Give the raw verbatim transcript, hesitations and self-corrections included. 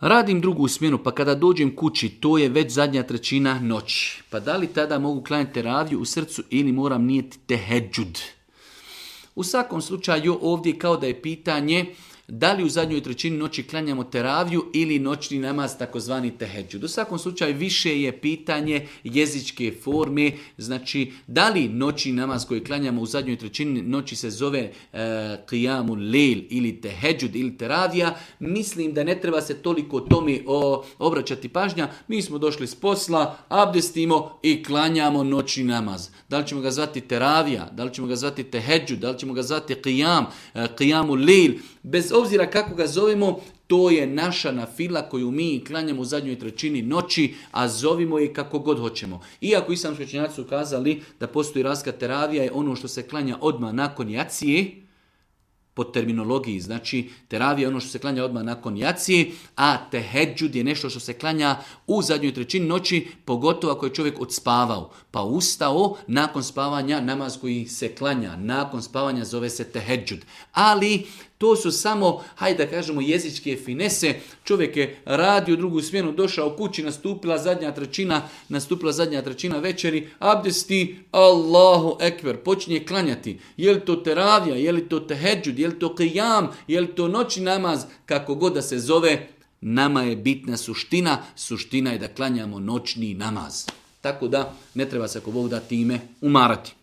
Radim drugu smjenu, pa kada dođem kući, to je već zadnja trećina noći. Pa da li tada mogu klanjati teraviju u srcu ili moram nijeti tehedžud? U svakom slučaju ovdje kao da je pitanje da li u zadnjoj trećini noći klanjamo teraviju ili noćni namaz, takozvani tehedžud. U svakom slučaju više je pitanje jezičke forme, znači da li noćni namaz koji klanjamo u zadnjoj trećini noći se zove e, qiyamul lejl ili tehedžud ili teravija. Mislim da ne treba se toliko tome o, obraćati pažnja. Mi smo došli s posla, abdestimo i klanjamo noćni namaz. Da li ćemo ga zvati teravija, da li ćemo ga zvati tehedžud, da li ćemo ga zvati qiyam, e, qiyamul lejl, bez obzira kako ga zovemo, to je naša nafila koju mi klanjamo u zadnjoj trećini noći, a zovimo je kako god hoćemo. Iako islamski učenjaci su kazali da postoji razlika, teravija je ono što se klanja odmah nakon jacije, po terminologiji, znači teravija je ono što se klanja odmah nakon jacije, a tehedžud je nešto što se klanja u zadnjoj trećini noći, pogotovo ako je čovjek odspavao, pa ustao nakon spavanja, namaz koji se klanja nakon spavanja zove se tehedžud. Ali to su samo, hajde da kažemo, jezičke finese. Čovjek je radio drugu smjenu, došao kući, nastupila zadnja trećina, nastupila zadnja trećina večeri, abdesti, Allahu ekber, počinje klanjati. Je li to teravija, je li to tehedžud, je li to qiyam, je li to noćni namaz, kako god da se zove, nama je bitna suština. Suština je da klanjamo noćni namaz. Tako da ne treba se ako Bog da time umarati.